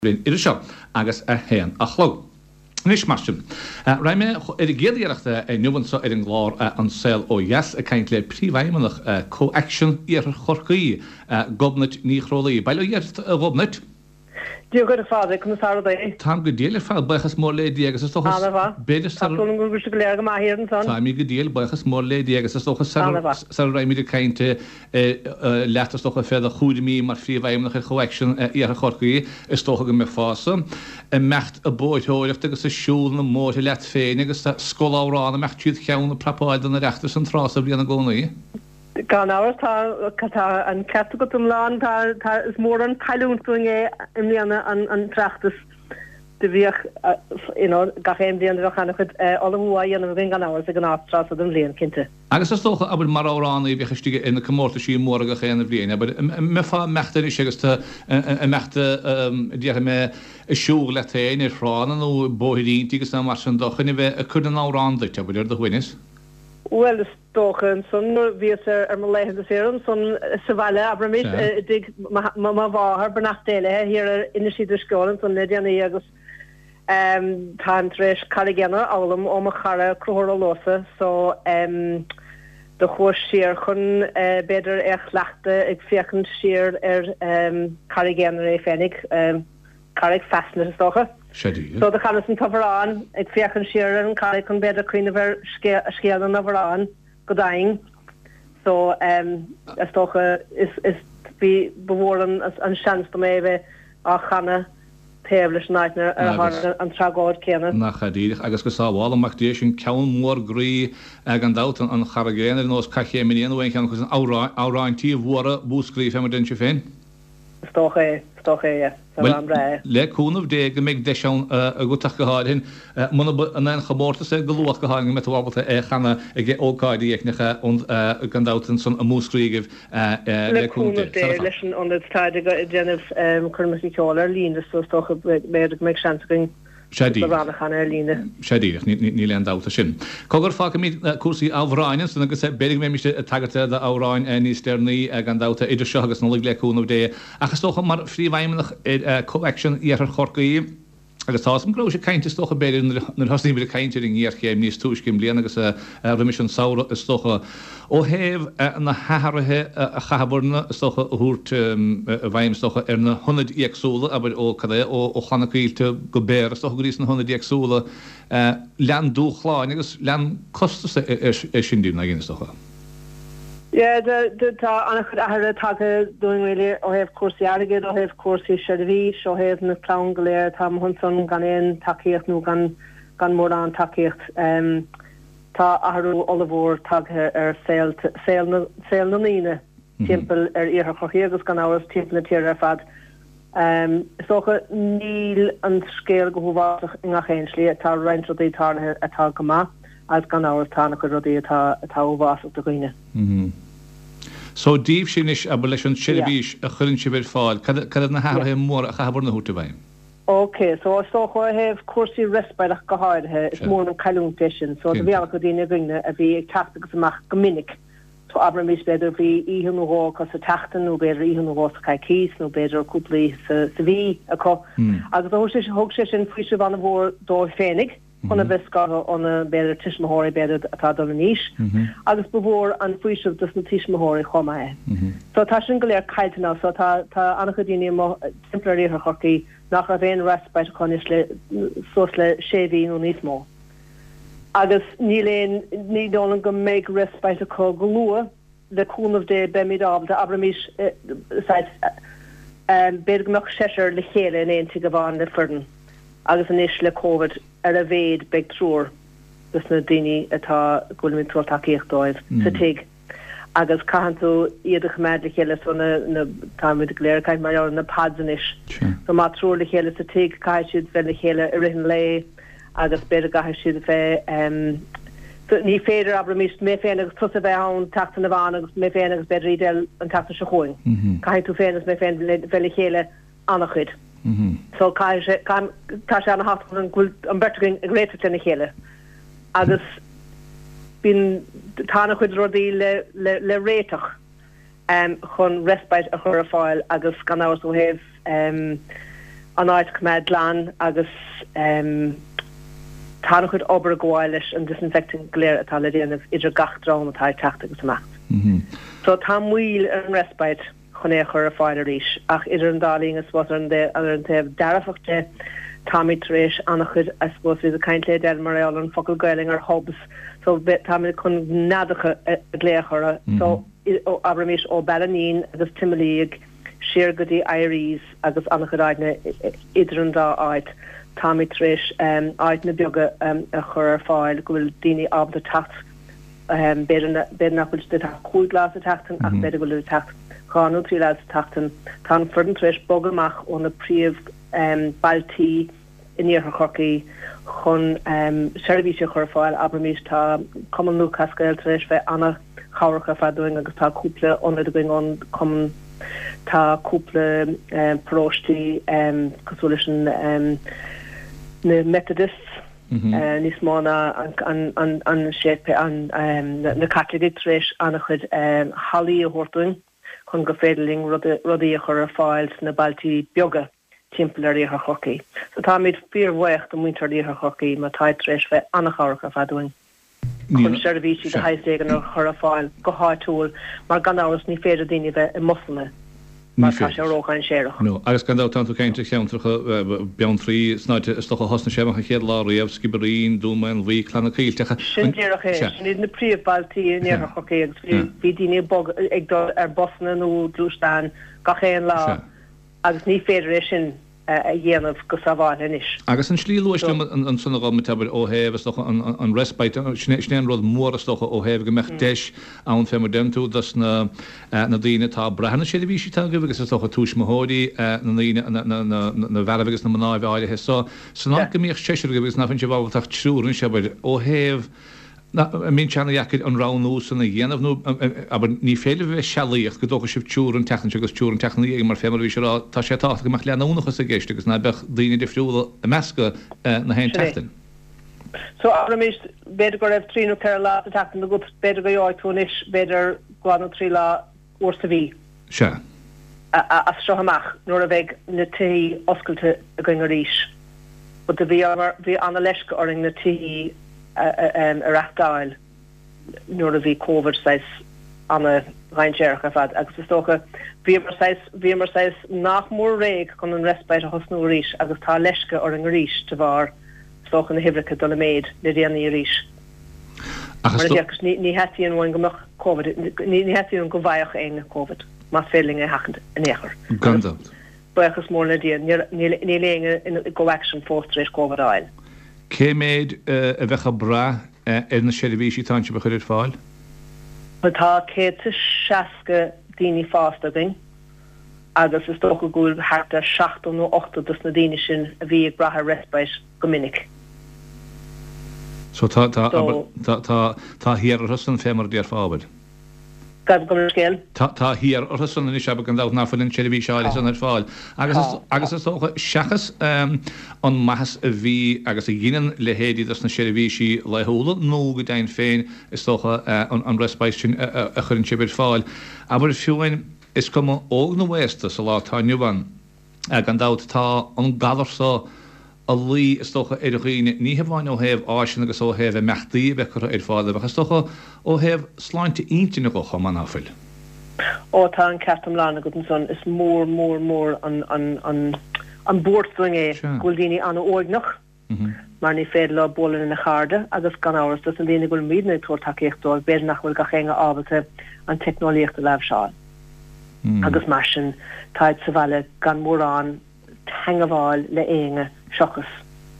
Bliain idir seo agus a haon a chlog. Anois, mar sin, raghaidh mé ar an gcéad iarracht inniu anseo ar an gclár An Saol Ó Dheas ag caint le Príomhfheidhmeannach ComhAction Iarthar Chorcaí, Gobnait Ní Chrólaí. Bail ó Dhia ort, a Ghobnait. Dia dhuit, a Phádraig, conas tá rudaí? Táim go diail ar fad, buíochas mór le Dia agus is dócha, Ana-mhaith. b'fhéidir Tá sar. súil agam go bhfuil sibh go léir go maith thiar ansan. Táimid go diail, buíochas mór le Dia agus is dócha sar Ana-mhaith. sara raghaimid ag caint leat, is dócha, fé do chúraimí mar Phríomhfheidhmeannach ar ComhAction Iarthar Chorcaí, is dócha go mbeifeása ag imeacht ag bóithreoireacht agus ag siúl na mbóithre leat féin agus scolamhrán ag imeacht tríd cheann ag prapáil don Oireachtas an tráth so bhliain i gcónaí. Gan amhras, tá, tá an ceart agat iomlán, tá, tá, is mór an cailliúint dúinn é i mbliana an, an tOireachtas. Do bhíodh, you know, gach aon bhliain do bheadh an-chuid ullmhú á dhéanamh againn gan amhras ag an tráth so den bhliain, cinnte. Agus is dócha, abair, mar amhránaí a bhíodh istigh ar na comórtaisí móra gach aon bhliain, abair, an mbeifeá ag imeacht anois agus tú ag imeacht, déarfaidh mé, ag siúl leat féin ar thránna nó bóithríntí agus mar sin de, chun a bheith ag cur na n-amhrán duit, abair, ar do shuaimhneas? Bhuel, is dócha ansan nuair a bhíos ar mo laethanta saoire ansan sa bhaile, abraimis, i dtigh mo mháthar, beannacht Dé léi, thiar ar Inis Uí Drisceoil ansan le déanaí agus táim tar éis Carraig Aonair a fhoghlaim ó mo chara Conchúr Ó Luasa so do chuas siar chun b'fhéidir é a chleachtadh ag féachaint siar ar Carraig Aonair é féinig. Carraig Fastnet is dócha. Sea díreach. So do chanas an t-amhrán, ag féachaint siar ar an charraig chun b'fhéidir cuimhneamh ar scéal na n-amhrán go deimhin. So is dócha is is bhí ba mhór an an seans dom é a bheith á chanadh taobh leis an áit ar tharla an tragóid céanna. Nach ea díreach. Agus go sábhála Mac Dé sin ceann mór groí gan dabht, an Charraig Aonair ar nós Cath Chéim an Fhia nó aon cheann acu san amhráintí mhóra Mhúscraí fé mar a deireann sibh féin. Is dócha é, is dócha é, yeah. Is Bhuel, amhrán breá é. le cúnamh Dé go mbeidh deis ann agat ach go háirithe, muna in aon chomórtas é go luath go háirithe go mbeidh tú ábalta é a chanadh ag ócáidí éicneacha gan dabht ansan i Múscraí agaibh le le cúnamh cúnamh Dé. Dé, leis an ionad táid ag déanamh coirmeacha ceoil ar líne so is dócha b'fhéidir go mbeidh seans againn Sea díreach. Amhrán a chanadh ar líne. Sea díreach, níl aon dabht ar sin. Cogar, fágfaimid cúrsaí amhráin ansan agus b'fhéidir go mbeimis ag tagairt d'amhráin níos deireanaí gan dabht idir seo agus Nollaig le cúnamh Dé. Ach is dócha mar phríomhfheidhmeannach ar ComhAction Iarthar Chorcaí, agus tá 'fhios a'm go rabhais ag caint is dócha b'fhéidir nuair a thosnaigh muid ag caint ar an ngéarchéim níos túisce i mbliana agus roimis an samhradh is dócha, ó thaobh na hathruithe a chaitheabarna is dócha a thabhairt i bhfeidhm is dócha ar na hionaid éagsúla, abair ó cad é, ó Chlanna Caoilte go Béarra is dócha go dtí sna hionaid éagsúla, lean dúshláin agus lean costas é sin díobh, nach is dócha. Yeah, tá an-chuid athruithe tagtha dúinn really ó thaobh cúrsaí airgid, ó thaobh cúrsaí seirbhís, ó thaobh na clann go léir atá amuigh ansan gan aon tacaíocht nó gan gan mórán tacaíocht. Tá athrú ollmhór tagtha ar saol saol na ndaoine timpeall ar Iarthar Chorcaí agus gan amhras timpeall na tíre ar fad. Is dócha níl an scéal go huafásach i ngach aon slí, tá roinnt rudaí tarlaithe atá go maith agus gan amhras tá an-chuid rudaí atá atá uafásach do dhaoine. So díbhse anois, abair, leis an tseirbhís a chuireann sibh ar fáil, cad iad na hathruithe móra a chaitheabhair a thabhairt i bhfeidhm? Ok, so is dócha ó thaobh cúrsaí respite ach go háirithe, is mór an cailliúint é sin. So do bhí an-chuid daoine againne a bhí ag teacht agus amach go minic. So abraimis b'fhéidir bhí oíche nó dhó acu sa tseachtain nó b'fhéidir oíche nó dhó sa choicís nó b'fhéidir cúpla oíche sa sa mhí acu. Agus thug sé thug sé sin faoiseamh an-mhór dóibh féinig. chun a bheith scartha óna, b'fhéidir, tuismitheoirí, b'fhéidir, atá ag dul in aois, agus ba mhór an faoiseamh dos na tuismitheoirí chomh maith é. So tá sin go léir caillte now, so tá, tá an-chuid daoine amuigh timpeall ar Iarthar Chorcaí nach raibh aon respite acu anois le, suas le sé mhí nó níos mó. Agus níl aon, ní dóigh liom go mbeidh respite acu go luath, le cúnamh Dé beimid ábalta, abraimis, saghas, b'fhéidir go mbeadh seisear le chéile in aon tigh amháin le foireann agus anois le Covid ar a mhéad beidh triúr dos na daoine atá, go bhfuilimid ag tabhairt tacaíocht dóibh sa tigh agus caitheann tú iad a choimeád le chéile so na, na, táimid go léir ag caint mar gheall ar na pods anois so má triúr le chéile sa tigh caithfidh siad bheith le chéile i rith an lae agus b'fhéidir go gcaithfidh siad a bheith so ní féidir, abraimis, mé féin agus tusa a bheith ann tseachtain amháin agus mé féin agus b'fhéidir Edel an tseachtain seo chugainn. Caithfidh tú féin agus mé féin bheith le chéile an-chuid. So caithfidh sé, tá sé an-thábhachtach go bhfuil an bheirt againn ag réiteach lena chéile agus bíonn, tá an-chuid rudaí le, le, le réiteach. chun respite a chur ar fáil agus gan amhras ó thaobh an. An áit a choimeád glan agus tá an-chuid obair ag gabháil leis an disinfecting go léir atá le déanamh idir gach dream atá ag teacht agus imeacht. So tá moill ar an respite chun é a chur ar fáil arís ach idir an dá linn I suppose ar an taobh dearfach de táimid tar éis an-chuid I suppose bhíos ag caint le Edel mar gheall ar an focal Gaelainn ar hubs so táimid chun neadacha a ghlaoch orthu so abraimis ó Ballineen agus Timoleague siar go dtí Eyeries agus an-chuid áiteanna idir an dá áit. Táimid tar éis áiteanna beaga a chur ar fáil go bhfuil daoine ábalta teacht, b'fhéidir nach bhfuil siad ag teacht 5 lá sa tseachtain ach b'fhéidir go bhfuil siad ag teacht 2 nó 3 lá sa tseachtain. Tá an foireann tar éis bogadh amach ó na príomh-bhailtí in iarthar Chorcaí chun seirbhísí a chur ar fáil, abraimis. Tá Cumann Lúthchleas Gael tar éis bheith an-chabhrach ar fad dúinn agus tá cúpla ionad againn ón Cumann. Tá cúpla paróistí cosúil leis an na Methodists níos mó ná an séipéal na Caitlicigh tar éis an-chuid hallaí a thabhairt dúinn chun gur féidir linn rudaí a chur ar fáil sna bailtí beaga. timpeall ar Iarthar Chorcaí. So táimid fíorbhuíoch do mhuintir Iarthar Chorcaí mar táid tar éis bheith an-chabhrach ar fad dúinn chun seirbhísí de shaghas éigin a chur ar fáil go háitiúil mar gan amhras ní féidir daoine a bheith i mbusanna mar tá sé ródhainséarach. No. Agus gan dabht tánn tú ag caint ar cheantracha Beanntraí san áit is dócha a thosnaigh sé amach an chéad lá riamh, Sciobairín, Dún Maonmhuí, Cladh na Coillte. Sin díreach é. Sin iad na príomhbhailtí in Iarthar Chorcaí agus bhí daoine ag bogadh ag dul ar busanna nó gluaisteáin gach aon lá. Agus ní féidir é sin a dhéanamh go sábháilte anois. Agus an tslí a luais liom ansan a Ghobnait, abair, ó thaobh, is dócha, an respite, sin é an rud mór, is dócha, ó thaobh go mbeadh deis ann, fé mar deireann tú, dos na daoine atá ag brath ar na seirbhísí atá agaibh agus is dócha tuismitheoirí na ndaoine, na bhfearaibh agus na mnáibh áirithe so, san áit go mbíodh seisear agaibh agus ná fuil sibh ábalta ach triúr anois, abair, ó thaobh. An mbíonn sé ana-dheacair an roghnú san a dhéanamh nó, abair, ní féidir libh a bheith ag sealaíocht go dtógfaidh sibh triúr an tseachtain seo agus triúr an tseachtain ina dhiaidh mar fé mar a bhís ag rá, tá sé tábhachtach go mbeadh leanúnachas i gceist agus ná beadh daoine difriúla ag meascadh na haon Sin é. tseachtain. So, abraimis, b'fhéidir go raibh trí nó ceithre lá sa tseachtain agat, b'fhéidir go gheobhaidh tú anois, b'fhéidir, dhá nó trí lá uair sa mhí. Sea. As seo amach, nuair a bheidh na tithí oscailte againn arís. But do bhí, bhí ana-leisce orainn na tithí a reachtáil nuair a bhí Covid saghas ana-dhainséarach ar fad agus is dócha bhíomar saghas, bhíomar saghas nach mór réidh chun an respite a thosnú arís agus tá leisce orainn arís de bharr is dócha na huimhreacha dul i méid le déanaí arís. Ach Mar a déarfas, ní theastaíonn uainn go mbeadh Covid, ní theastaíonn uainn go bhfaigheadh éinne Covid, más féidir linn é a sheachaint in aon chor. Gan Agus dabht. buíochas mór le Dia, níl éinne in Go Action fós tar éis Covid a fháil. Cé méid a bheadh ag brath ar na seirbhísí atánn sibh a chur ar fáil? Bhuel, tá 160 daoine fásta againn agus is dócha go bhfuil thart ar 70 nó 80 dos na daoine sin a bhí ag brath ar respite go minic. So tá, tá, abair, tá, tá, tá thiar orthu san fé mar a déarfá, abair. Gabh mo leithscéal. Tá, tá thiar orthu san anois, abair, gan dabht, ná fuil an tseirbhís áirithe san ar fáil. Agus is, agus is dócha, seachas an maitheas a bhí agus a dheineann leithéidí dos na seirbhísí laethúla, nó go deimhin féin, is dócha, an, an respite sin a, a chuireann sibh ar fáil, abair, fiú amháin, is cuma óg nó aosta sa lá atá inniu ann, Gan dabht, tá an galar so a luí, is dócha, ar dhaoine, ní hamháin ó thaobh áiseanna agus ó thaobh imeachtaí a bheith curtha ar fáil dóibh, ach is dócha ó thaobh sláinte intinne dho chomh maith, ná fuil? Ó, tá an ceart iomlán agat ansan. Is mór, mór, mór an, an, an, an buairt dúinn é go bhfuil daoine an-uaigneach. mar ní féidir leo bualadh lena chairde agus gan amhras dos na daoine go bhfuil muidne ag tabhairt tacaíocht dóibh b'fhéidir nach bhfuil gach éinne ábalta an teicneolaíocht a láimhseáil agus mar sin táid sa bhaile gan mórán teangabháil le éinne seachas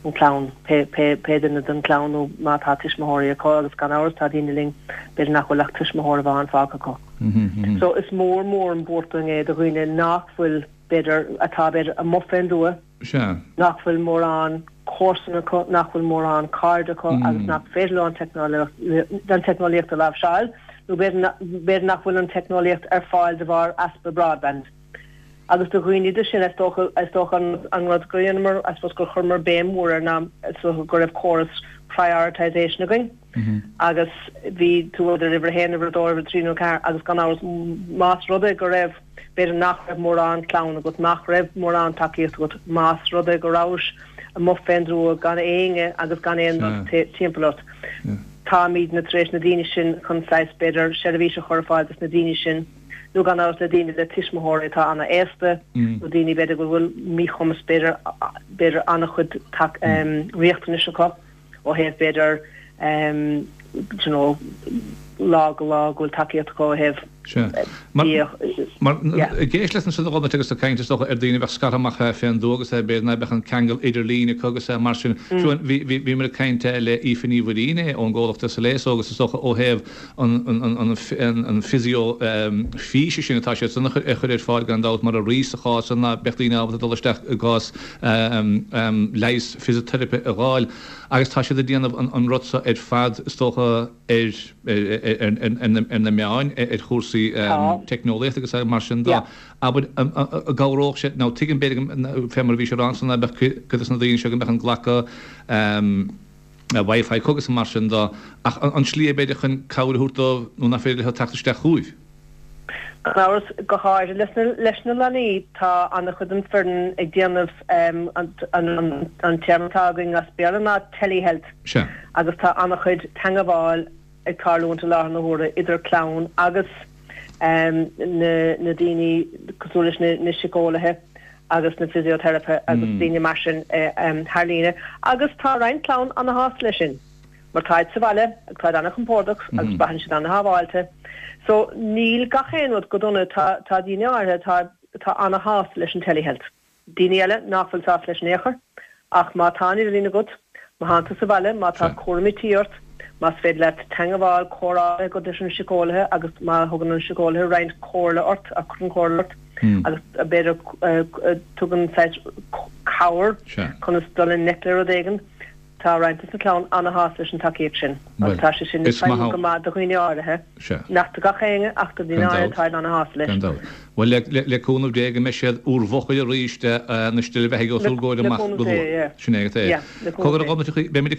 an clann, pé pé duine den chlann nó má tá tuismitheoirí acu agus gan amhras tá daoine linn b'fhéidir nach bhfuil ach tuismitheoir amháin fágtha acu. So is mór mór an buairt dúinn é do dhaoine nach bhfuil b'fhéidir atá b'fhéidir amuigh fén dtuath Sea. nach bhfuil mórán comharsan acu, nach bhfuil mórán cairde acu agus nach féidir leo an teicneolaíocht a láimhseáil, nó b'fhéidir nach bhfuil an teicneolaíocht ar fáil de bharr easpa broadband. Agus do dhaoine de sin, is dócha, is dócha an rud gur dheineamar, I suppose gur chuireamar béim mhór air ná is dócha go raibh córas prioritisation againn agus bhí tú idir uimhir a haon, uimhir a dó, uimhir a trí nó a ceathair agus gan amhras más rud é go raibh. b'fhéidir nach raibh mórán clann agat, nach raibh mórán tacaíocht agat, más rud é go rabhais amuigh fén dtuath gan éinne agus gan aon rud timpeall ort. Táimidne tar éis na daoine sin chun saghas, b'fhéidir, seirbhís a chur ar fáil dos na daoine sin, nó gan amhras le daoine le tuismitheoirí atá ana-aosta, nó daoine b'fhéidir go bhfuil míchumas, b'fhéidir, b'fhéidir an-chuid riachtanais acu ó thaobh b'fhéidir you know lá go lá go bhfuil tacaíocht acu ó thaobh Sea. Mar, mar, ag éisteacht leat ansin a Ghobnait agus ag caint is dócha ar daoine a bheadh scartha amach fén dtuath agus b'fhéidir ná beadh an ceangal idirlín acu agus mar sin. Fiú bhí, bhí, bhíomar ag caint le Aoife Ní Mhuirín ón gcomhlacht SLASO agus is dócha ó thaobh an, an, an physio físe sin atá siad san a chur ar fáil gan dabht mar a rí sa chás san ná beadh daoine ábalta dul isteach i gcás leigheas fisiteiripe a dh'fháil agus tá siad ag déanamh an rud so ar fad is dócha ar ar na meáin, ar chúrsaí teicneolaíochta agus mar sin de. Abair, an gcabhródh sé, nó tuigim b'fhéidir fé mar a bhís ag rá ansan ná beadh cuid de na daoine seo go mbeadh an glacadh Wi-Fi acu agus mar sin de, ach an slí é b'fhéidir chun cabhair a thabhairt dóibh nuair nach féidir leo teacht isteach chugaibh? Gan amhras, go háirithe leis na leanaí, tá an-chuid den foireann ag déanamh an téarma atá againn as Béarla ná telehealth agus tá an-chuid teangabháil ag tarlúint i láthair na huaire idir clann agus na daoine cosúil leis na síceolaithe agus na fisioteiripithe agus daoine mar sin thar líne agus tá roinnt clann ana-shásta leis sin. Mar táid sa bhaile agus táid ana-chompordach agus braitheann siad ana-shábháilte. So níl gach aon rud go dona, tá tá daoine áirithe atá atá ana-shásta leis an telehealth. Daoine eile nach bhfuil sásta leis in aon chor. Ach má tá an idirlíon agat, má thánn tú sa bhaile, má tá cúraimí tí ort, más féidir leat teangabháil, comhrá a bheith agat leis an siceolaithe agus má thugann an siceolaithe roinnt comhairle ort, a cuireann comhairle ort agus b'fhéidir tugann saghas cabhair conas dul i ngleic le rud éigin, Tá roinnt de na clann ana-shásta leis an tacaíocht sin agus tá sé sin ag feidhmiú go maith do dhaoine áirithe, nach do gach éinne ach do dhaoine áirithe táid ana-shásta leis. Gan dabht. Bhuel, le cúnamh Dé go mbeidh siad úr bhfochair arís na steillebheathaidh os úr gcomhair amach go luath. Sin é agus é. Cogar a Ghobnait, beimid ag.